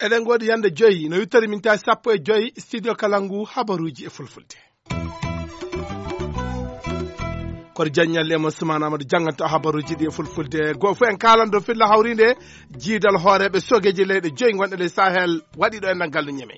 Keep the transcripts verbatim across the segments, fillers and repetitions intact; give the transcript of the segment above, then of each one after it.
Eɗen ngoodi yande joyi no yuttori min tawi sappo e joyi studio kalangu habaruuji e fulfulde. Koto jaññalle mo sumana amadou jannganto habaruuji ɗi e fulfulde goo fof en kaalando filla hawrinde jiidal hooreeɓe sogeeji leyɗe joyi ngonɗe ley sahel waɗiɗo e nanngal no ñeme.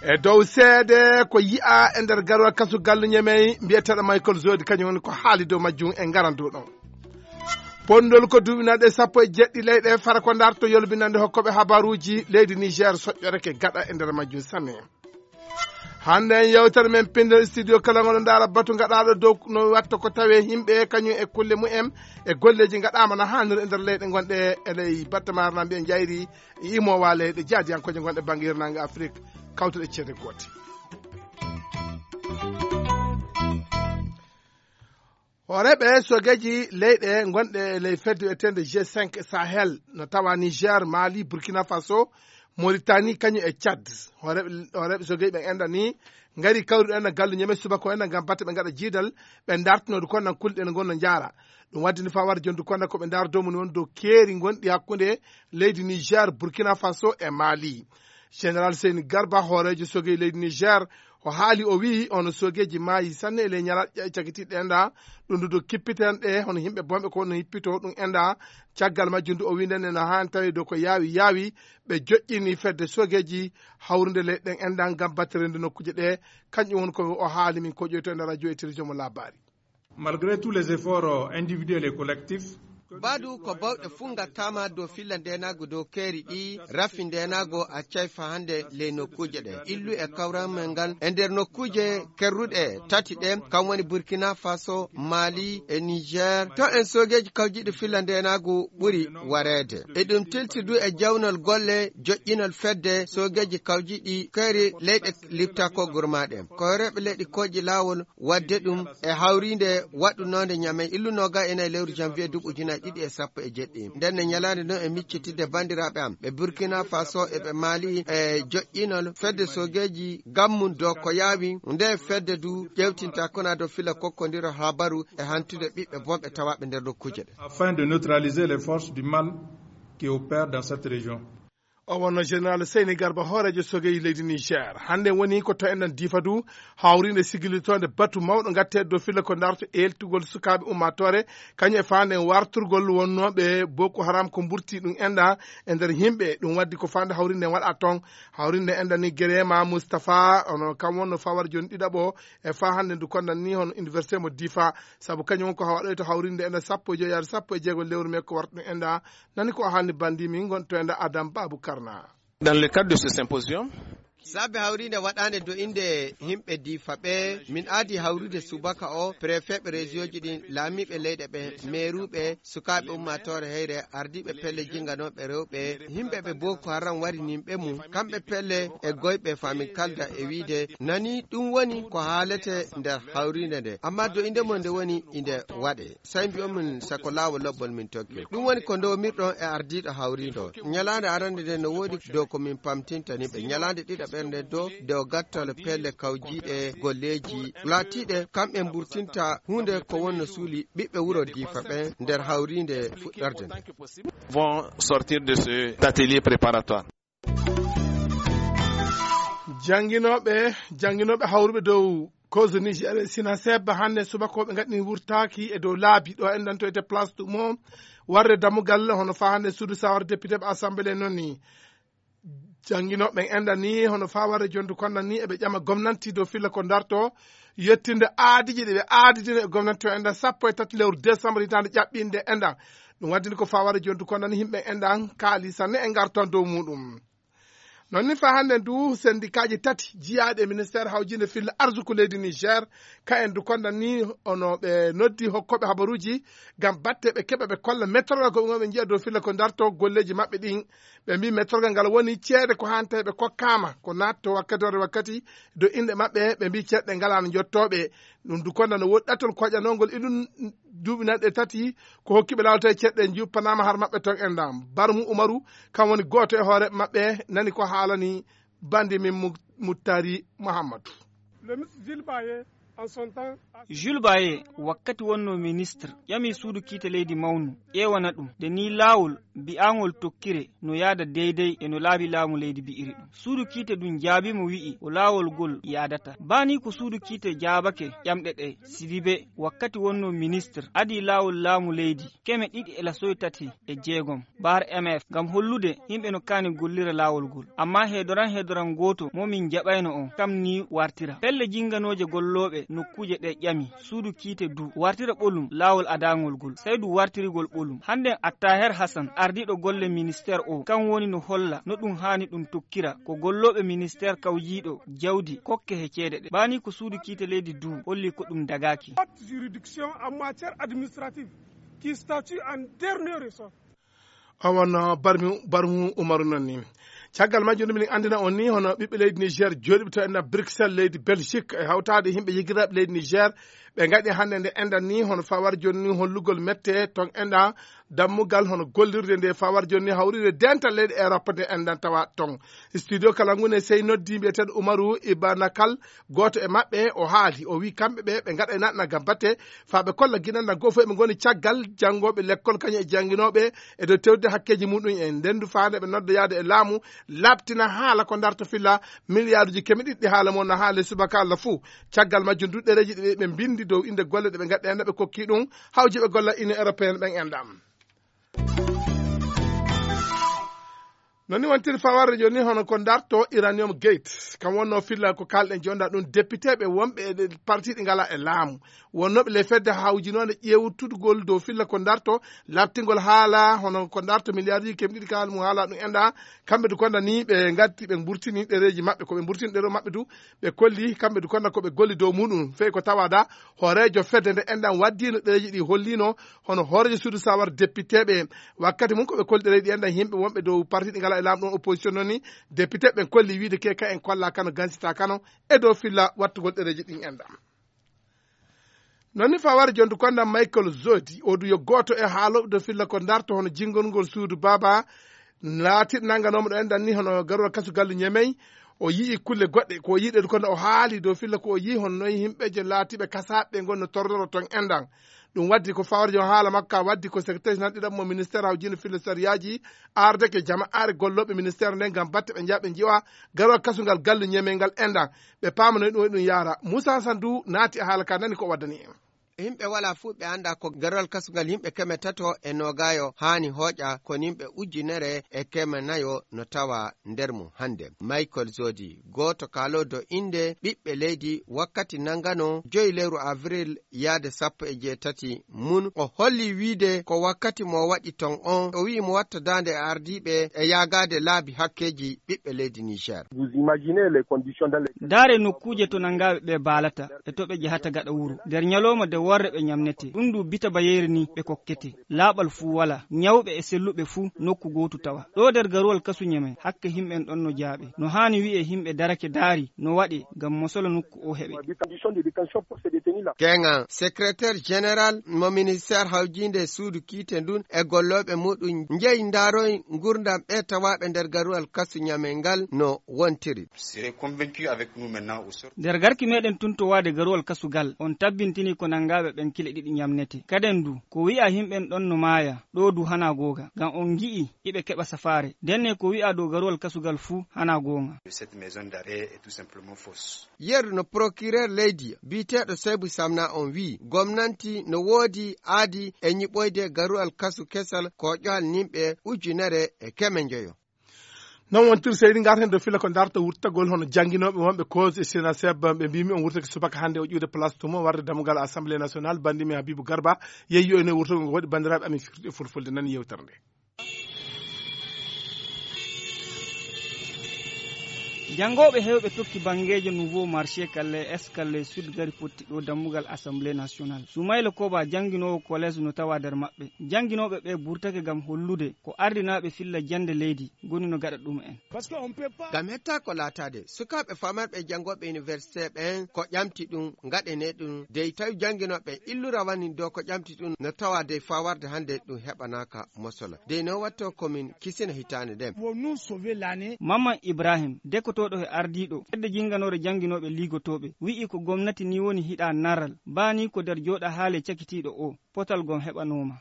E dow seede ko yi'a e nder garwa kasu gallu ñemey mbiyeteeɗo michael zodi kañum woni ko haali dow majjum e ngaran dow ɗon. Ponndol ko duwinaɗe sappo e jeɗɗi leyɗe fara ko ndarto yolbinande hokkooɓe habaruuji leydi niger soƴƴoreke gaɗa e nder majjum sanne. Hannde en yewtere men pinndol studio kala ngono ndaara batu gaɗaaɗo dow no watta ko tawee yimɓe kañum e kulle mumen e golleeji gaɗaama no haaniri e nder leyɗe gonɗe e ley battamare na mbiya njayri e imowa leyɗe jaadiyankooje gonɗe bannge hirnaange afrik kawtuɗe ceede goote. Hooreeɓe sogeeji leyɗe gonɗe e ley fedde wiyeteende g cinq sahel no tawa niger mali burkina faso, mauritanie kañum e tchad. Hooreeɓe sogeeji ɓen enɗa ni ngari kawri ɗo enɗa gallu ñeme subaka o enɗa ngam batte ɓe ngaɗa jiidal ɓe dartinoɗo kon nan kulɗe no gonno jaara. Ɗum waddini fawar jondu konda koɓe ndar dow mum woni dow keeri gonɗi hakkunde leydi niger burkina faso e mali. Général seyni garba hooreejo sogey leydi niger o haali o wii hono sogeeji maayi sanne e ley ñalaɗe cagitiɗe enɗa. Ɗum dudo kippiten ɗe hono yimɓe bonɓe ko wonno hippito ɗum enɗa. Caggal majjum du o wii nden eno haani tawi dow ko yaawi yaawi ɓe joƴƴini fedde sogeeji hawrude leyɗe ɗen enɗa ngam battirinde nokkuuje ɗe. Kanƴum woni ko o haali min ko ƴoyto e nder radio e télévision mo labari. Malgré tous les efforts individuels et collectifs, badu ko bawɗe fuu ngattaama dow filla ndeenaagu dow keeri ɗi rafi ndeenaagu accay fa hannde ley nokkuuje ɗe illu e kawrammel ngal e nder nokkuuje kerruɗe tati ɗe kam woni burkina faso mali e niger to en sogeeji kawjiɗi filla ndeenaagu ɓuri wareede. E ɗum tilti du e jawnol golle joƴƴinol fedde sogeeji kawjiɗi keeri leyɗe lipta ko gurmaɗe ko reɓe leyɗi koƴi laawol waɗde ɗum e hawriinde waɗunoonde ñamey illu nooga e nayi lewru janvier duuɓi ujunaaji ɗiɗi e sappo e jeɗɗi. Nden ne ñalaande non e miccitidde banndiraaɓe am ɓe burkina faso e ɓe mali e joƴƴinol fedde sogeeji gammum dow ko yaawi nde fedde du ƴewtinta kona dow fila kokkondiro habaru e hantude ɓiɓɓe bonɓe tawaaɓe nder nokkuuje ɗe. Afin de neutraliser les forces du mal qui opèrent dans cette région. O wonno général seyni garba hooreejo sogeyi leydi niger hannde woni ko to enen diifa du hawriinde sigilitoonde batu mawɗo ngatteede dow filla ko ndarto eeltugol sukaaɓe ummaatoore kañum e faande warturgol wonnooɓe boko haram ko mburti ɗum enɗa e nder yimɓe ɗum waddi ko faande hawriinde en waɗa toon. Hawriinde enɗa ni gerema moustapha ono kam wonno fawar jooni ɗiɗaɓo e fa hannde ndu kondan ni hono université mo diifa sabu kañum won ko hawaɗoyta hawriinde enɗa sappo e joyi yaade sappo e jeego lewru me ko warta ɗum enɗa. Nani ko o haalni bandi min gonto e nder adam babu karna. Dans le cadre de ce symposium, saabe hawriinde waɗaande do innde yimɓe diifa ɓe min aadi hawrude subaka o préfet ɓe région ji ɗin laamiiɓe leyɗe ɓe meeruuɓe sukaaɓe ummaatoore heyre ardiiɓe pelle jinganooɓe rewɓe yimɓe ɓe boko haram wari nimɓe mum kamɓe pelle e goyɓe faamin kalda e wiide nani ɗum woni ko haalete nder hawriinde nde amma do innde mon nde woni inde waɗe. Sey mbi'on min sako laawol lobbol min tokki. Ɗum woni ko ndomirɗon e ardiiɗo hawriiɗo. Ñalaande arande nde no woodi dow ko min pamtinta ni ɓe. Ñalaande ɗiɗaɓere nde dow dow gattol pelle kawjiiɗe golleeji laatiiɗe kamɓe mburtinta huunde ko wonno suuli ɓiɓɓe wuro diifa ɓe nder hawriinde fuɗɗorde nde. Vont sortir de cet atelier préparatoire. Jannginooɓe jannginooɓe hawruɓe dow koso niger sina sebba hannde subakooɓe ngaɗini wurtaaki e dow laabi ɗo enɗan to ete place ɗum o warde dammugal hono fa hannde suudu sawar député ɓe assemblée noon ni. Jannginooɓe ɓen enɗan ni hono fa warde jondu konɗan ni eɓe ƴama gomnanti dow filla ko darto yettinde aadiji ɗi ɓe aadidino e gomnanti o enɗan sappo e tati lewru décembre hitaande ƴaɓɓinde enɗan. Ɗum waddini ko fa warde jondu konɗan ni yimɓe enɗan kaali sanne e ngartan dow muɗum. Noon ni fa hannden du sendikaaji tati jiyaaɗi e ministeer hawjinde filla arsuku leydi niger ka en du konda ni ono ɓe noddi hokkooɓe habaruuji ngam batte ɓe keɓa ɓe kolla mettorgal ko ɓe njiya dow filla ko darto golleeji maɓɓe ɗin. Ɓe mbi mettorgal ngal woni ceede ko haantae ɓe kokkaama ko naatto wakkati wata wakkati dow inɗe maɓɓe ɓe mbi ceeɗe ɗe ngalaano njottooɓe. Ɗum du konda no woodi ɗattol koƴanongol iɗum duuɓi nanɗe tati ko hokkiɓe lawol tawi ceeɗe ɗe juppanaama har maɓɓe toon enɗam. Barmu umaru kam woni gooto e hooreeɓe maɓɓe nani ko haalani bandi min mu. Muttari Muhammadu. Jules Baye, wakkati wonnoo ministre, ƴami suudu kiite leydi mawnu, ƴeewana ɗum. Nde nii laawol bi'aangol tokkire no yaada deydey e no laabi laamu leydi bi'iri ɗum. Suudu kiite ɗum jaabii mo wi'i ko laawol ngol yaadata. Baa nii ko suudu kiite jaabake ƴamɗe ɗe. Sidibe, wakkati wonnoo ministre, adii laawol laamu leydi, keme ɗiɗi e lasoy tati e jeegom, bar M F, ngam hollude yimɓe no kaani gollira laawol ngol. Ammaa heedoran heedoran gooto mo min jaɓayno on, kam ni wartira. Pelle jinganooje gollooɓe nokkuuje ɗe ƴami, suudu kiite du, wartira ɓolum laawol adaangol ngol, sey du wartirigol ɓolum. Hannden Attaher Hassan, ardiiɗo golle ministeer o, kan woni no holla no ɗum haani ɗum tokkira, ko gollooɓe ministeer kawjiiɗo jawdi kokke he ceede ɗe. Baa nii ko suudu kiite leydi du, holli ko ɗum dagaaki. Haute juridiction en matière administrative qui statue en dernier ressort. O wonno Barmi, Barmu Umaru noon ni. Caggal majjum, min anndina on ni hono ɓiɓɓe leydi Niger jooɗiiɓe to enɗan Bruxelles, leydi Belgique, e hawtaade yimɓe yigiraaɓe leydi Niger, ɓe ngaɗi hannde nde enɗan ni hono fawar jooni ni hollugol mette toon enɗan dammugal hono gollirde nde fawar jooni ni hawrire dental leyɗe Europe nde enɗan tawa toon. Studio kala ngu ne sey noddi mbiyeteeɗo Umaru Ibanakal, gooto e maɓɓe, o haali, o wii kamɓe ɓe, ɓe ngaɗa e naatna ngam batte, faa ɓe kolla ginanna goo fof eɓe ngoni caggal janngooɓe lekkol, kañum e jannginooɓe e dow tewde hakkeeji muɗum en. Nden du faande ɓe nodda yaade e laamu, laaɓtina haala ko ndarto filla miliyaaruuji keme ɗiɗi ɗi haala mo no haali subaka Allah fuu. Caggal majjum du ɗereeji ɗi ɓe mbinndi dow innde golle ɗe ɓe ngaɗi en, ɓe kokki ɗum hawjiiɓe golle Union Européenne ɓen enɗam. Noon ni wontiri fawarde jooni hono ko ndarto Uranium Gate. Kam wonno filla ko kaalɗen jonɗa ɗum, depiteeɓe wonɓe e ɗe parti ɗi ngalaa e laamu. Wonnooɓe ley fedde hawjinoonde ƴeewtudgol dow filla ko ndarto, labtingol haala hono ko ndarto miliyaaruuji keme ɗiɗi kaal mum haala ɗum enɗa. Kamɓe du konda ni ɓe ngatti ɓe mburtini ɗereeji maɓɓe. Ko ɓe mburtini ɗereeji maɓɓe du, ɓe kolli kamɓe du konda ko ɓe golli dow muɗum. Fey ko tawada hooreejo fedde nde enɗan waddino ɗereeji ɗi hollino hono hooreejo suudu sawar depiteeɓe. Wakkati mum ko ɓe kolli ɗereeji ɗi enɗan yimɓe wonɓe dow parti ɗi ngalaa e laamu ɗum opposition noon ni, depiteeɓe ɓen kolli wiide ke ka en kolla kano gansita kano e dow filla wattugol ɗereeji ɗin enɗan. Noon ni fawar jondu konda Michael Zodi, o du yo gooto e haalooɓe dow filla ko ndarto hono jinngol ngol suudu baaba laatiiɗo nannganooma ɗo enɗan ni hono garol kasu gallu Ñemey. O yi'i kulle goɗɗe, ko o yi'i ɗe du konda o haali dow filla ko o yi'i hono noy yimɓeeje laatiiɓe kasaaɓe ɓe ngoni no torloro ton enɗan. Ɗum waddi ko fawar jon haala makko ka waddi ko secrétaire général ɗiɗaɓo mo ministère hawjinde filla sariyaaji, aardeke jama'aare gollooɓe ministère nden ngam batte ɓe njaha ɓe njiwa garol kasungal gallu Ñemey ngal enɗan. Ɓe paamanoy ɗum e ɗum yaara. Moussa Hassan du naati e haala ka, nani ko o waddani en. Yimɓe wala fuu ɓe annda ko garol kasungal yimɓe keme tato e nogayo haani hooƴa, ko yimɓe ujunere e keme nayo no tawa nder mum hannde. Michael Zodi, gooto kaaloodo innde ɓiɓɓe leydi wakkati nanngano joyi lewru avril yaade sappo e jeetati mun, o holli wiide ko wakkati mo waɗi ton on, o wi'i mo watta daande e ardiiɓe e yaagaade laabi hakkeeji ɓiɓɓe leydi Niger. Vous imaginez les conditions dans lesquelles Ndaare nokkuuje to nanngaaɓe ɓe baalata e to ɓe jahata gaɗa wuro. Nder ñalooma de worre ɓe ñamnete. Ɗum ndu bita ba yeeri ni ɓe kokkete. Laaɓal fuu walaa. Ñawɓe e selluɓe fuu nokku gootu tawa. Ɗo nder garuwal kasu Ñemey, hakke himɓe en ɗon no jaaɓe. No haani wi'e himɓe darake daari no waɗe ngam mosola nokku o heɓe. Des conditions de détention pour se détenir là. Keŋa, secrétaire général mo ministère hawjinde suudu kiite ndun e gollooɓe muɗum njeyi ndaaroy ngurdam ɓe tawaaɓe nder garuwal kasu Ñamey ngal no wontiri. Vous serez convaincu avec nous maintenant au sort. Nder garki meɗen tun to waade garuwal kasu gal, on tabbintini ko nanngaaɓe ɓen kile ɗiɗi ñamnete. Kaden du, ko wi'a himɓen ɗon no maaya, ɗo du hanaa googa, ngam on ngi'i iɓe keɓa safaare. Ndenne ko wi'a dow garuwal kasugal fuu hanaa gooŋa. De cette maison d'arrêt est tout simplement fausse. Yeru no procureur leydi bi'eteeɗo Seebu Samna on wi'i, gomnanti no woodi aadi e ñiɓoyde garuwal kasu kesal ko ƴohal nimɓe ujunere e keme njoyo. Non wontiri seydi ngarten dow filla ko darta wurtagol hono jannginooɓe wonɓe cause e Sinaseb, ɓe mbimi on wurtake subaka hannde o ƴuwde place tumo warde dammugal Assemblée nationale. Bandimi Habibou Garba yeeyi yo ene wurtagol ngo waɗi banndiraaɓe amin firti e fulfulde nan yewtere nde. Janngooɓe heewɓe tokki banngeejo Nouveau Marché Kalle Escale Sud gari potti ɗo dammugal Assemblée nationale. Soumaïla Koba jannginoowo collège no tawa nder maɓɓe. Jannginooɓe ɓe burtake ngam hollude ko ardinaaɓe filla jannde leydi ngoni no gaɗa ɗum en. Ngam hetta ko laataade, sukaaɓe famarɓe janngooɓe université ɓen ko ƴamti ɗum, ngaɗene ɗum, dey tawi jannginooɓe illura wani dow ko ƴamti ɗum no tawa dey faa warde hannde ɗum heɓanaaka mosola. Dey no watto komin kisina hitaande nden. Mamman Ibrahim, de ko Ɗo ɗo e ardiiɗo fedde jinnganoore jannginooɓe liigotooɓe wi'i ko gomnati ni woni hiɗa naral, baa ni ko nder jooɗa haale cakitiiɗo o, potal gom heɓanooma.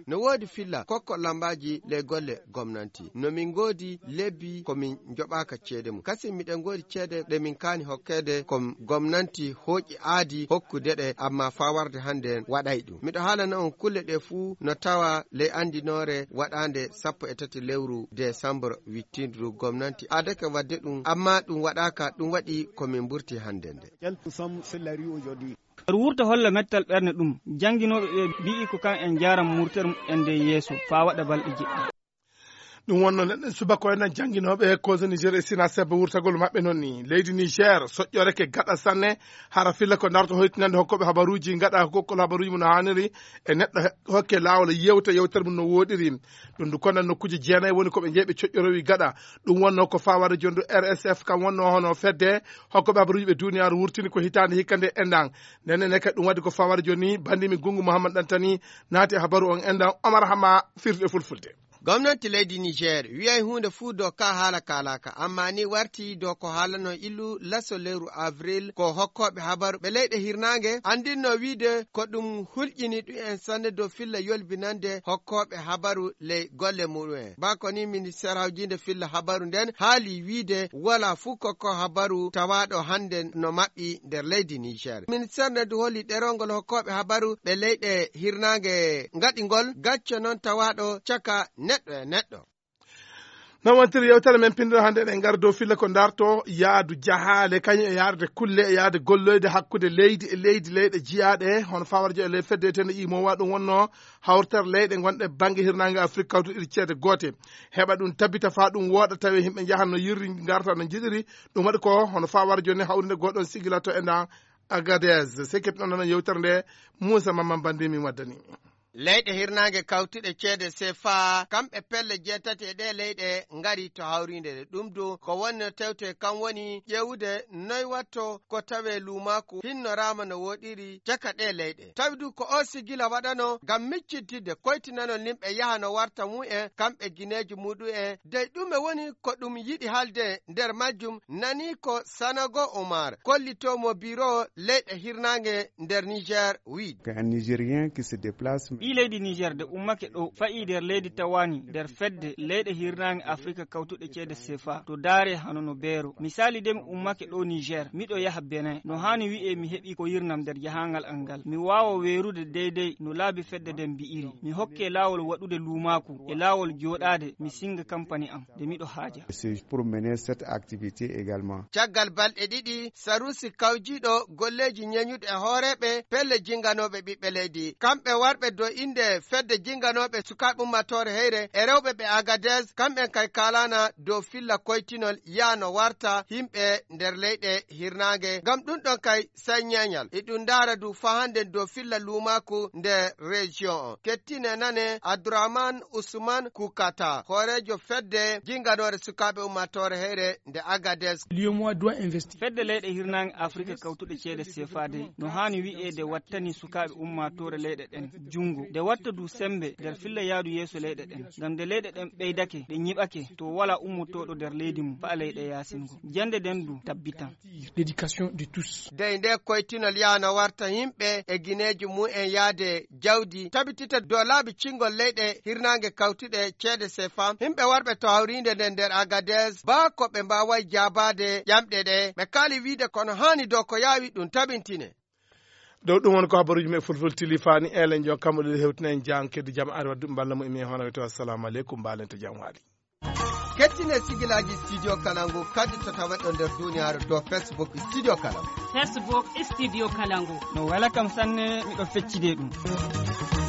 No woodi filla kokko lambaaji ley golle gomnanti. No min ngoodi lebbi ko min njoɓaaka ceede mum. Kasin miɗen ngoodi ceede ɗe min kaani hokkeede ko gomnanti hooƴi aadi hokkude ɗe, amma faa warde hannden waɗay ɗum. Miɗo haalana on kulle ɗe fuu no tawa ley anndinoore waɗaande sappo e tati lewru deesambur wittindu gomnanti aadake waɗde ɗum, amma ɗum waɗaaka, ɗum waɗi ko min mburti hannden de. Nder wurta holla mettal ɓernde ɗum, jannginooɓe ɓe mbi'i ko kan en njaaran murter en nde yeeso faa waɗa balɗe jeɗɗi. Ɗum wonno neɗɗen subako en jannginooɓe Koso Niger e Sina Sebbe wurtagol maɓɓe noon ni. Leydi Niger soƴƴoreke gaɗa sanne, hara filla ko ndarto hoytinande hokkooɓe habaruuji gaɗa kokkol habaruuji mum no haaniri e neɗɗo he-, hokke laawol yewta yewtere mum no wooɗiri. Ɗum ndu kono nokkuuji jeenayi woni ko ɓe njeyi ɓe coƴƴorowi gaɗa. Ɗum wonno ko fawaade jondu R S F kam wonno hono fedde hokkooɓe habaruuji ɓe duniyaaru wurtini ko hitaande hikka nde enɗan. Nden ene kadi ɗum waɗi ko fawaade jooni banndi mi Gunngu Muhammad Dantani naati e habaru on enɗan Omar Hama firti e fulfulde. Gomnanti leydi Niger wiyay huunde fuu dow ka haala kaalaaka, amma ni warti dow ko haalano illu laso lewru avril ko hokkooɓe habaru ɓe leyɗe hirnaange anndinno wiide ko ɗum hulƴini ɗum en sanne dow filla yolbinande hokkooɓe habaru ley golle muɗum en. Baa ko ni ministeer hawjiinde filla habaru nden haali wiide wala fuu kokko habaru tawaaɗo hannden no maɓɓi nder leydi Niger. Ministeer nden du holi ɗerol ngol hokkooɓe habaru ɓe leyɗe hirnaange ngaɗingol gacce noon tawaaɗo caka neɗɗo e neɗɗo. No wontiri yewtere men pinndira hannde eɗen ngara dow filla ko ndarto yaadu jahaale kañum e yaade kulle e yaade golloyde hakkunde leydi e leydi leyɗe jiyaaɗe hono fawarjo e ley fedde etende imowa ɗum wonno hawritere leyɗe gonɗe bannge hirnaange Afrik kawtuɗe ceede goote heɓa ɗum tabbita faa ɗum wooɗa tawi yimɓe njahan no yirri ngarta no njiɗiri. Ɗum waɗi ko hono fawarjo ne hawrinde goɗɗon sigilato e ndan Agadez. Sekket noon nana yewtere nde Moussa Mamman Bande min waddani. Leyɗe hirnaange kawtuɗe ceede sefa kamɓe pelle jeetati e ɗee leyɗe ngari to hawriinde nde. Ɗum du ko wonno tewte kam woni ƴeewude noy watto ko tawee luumaaku hinnoraama no wooɗiri caka ɗee leyɗe. Tawi du ko oo sigila waɗano ngam miccitidde koytinanol yimɓe yaha no warta mum en kamɓe gineeji muɗum en. Dey ɗume woni ko ɗum yiɗi haalde nder majjum? Nani ko Sanogo Umar kollitoo mo biro leyɗe hirnaange nder Niger wii. Nigérien qui se déplace. Ɓii leydi Niger de ummake ɗo fa'i nder leydi tawani nder fedde leyɗe hirnaange Afrika kawtuɗe ceede sefa to daare hano no beero. Misali de mi ummake ɗo Niger miɗo yaha Benin. No haani wi'e mi heɓi ko yirnam nder jahangal an ngal. Mi waawa weerude deydey no laabi fedde nden mbi'iri. Mi hokke laawol waɗude luumaaku e laawol jooɗaade mi singa kampani am nde miɗo haaja. C'est pour mener cette activité également. Caggal balɗe ɗiɗi, Sarusi kawjiiɗo golleeji ñeñuɗi e hooreeɓe pelle jinnganooɓe ɓiɓɓe leydi. Kamɓe warɓe dow innde fedde jinnganooɓe sukaaɓe ummaatoore heyre e rewɓe ɓe Agadez, kamɓen kay kaalana dow filla koytinol yaano warta yimɓe nder leyɗe hirnaange. Ngam ɗum ɗon kay sey ñeeñal. Iɗum ndaara du faa hannden dow filla luumaaku nder région on. Kettine nane Abdourahmane Ousmane Koukata, hooreejo fedde jinnganoore sukaaɓe ummaatoore heyre nde Agadez. L'U M O A doit investir. Fedde leyɗe hirnaange Afrika kawtuɗe ceede sefa dey no haani wi'eede wattani sukaaɓe ummaatoore leyɗe ɗen junngo. Nde watta du semmbe nder filla yaadu yeeso leyɗe ɗen. Ngam nde leyɗe ɗen ɓeydake, ɗe ñiɓake, to walaa ummotooɗo nder leydi mum, fa'a leyɗe yaasin go. Jannde nden du tabbitan. L'éducation de tous. Dey nde koytinol yaha no warta yimɓe e gineeji mum en yaade jawdi, tabitita dow laabi cinngol leyɗe hirnaange kawtuɗe ceede sefa. Yimɓe warɓe to hawriinde nden nder Agadez, baa ko ɓe mbaaway jaabaade ƴamɗe ɗe. Ɓe kaali wiide kono haani dow ko yaawi ɗum tabintine. Dow ɗum woni ko habaruuji men fulful tilifaani elen jon kammuɗo ɗe hewtina en jaan keddi jam ari wadduɓe mballa mum e mi e hono wiyto assalamu aleykum mbaalente jam waali. Kettine sigilaaji Studio Kalangu kadi to taweɗo nder duniyaaru dow Facebook Studio Kalangu. Facebook Studio Kalangu. No wela kam sanne miɗo feccide ɗum.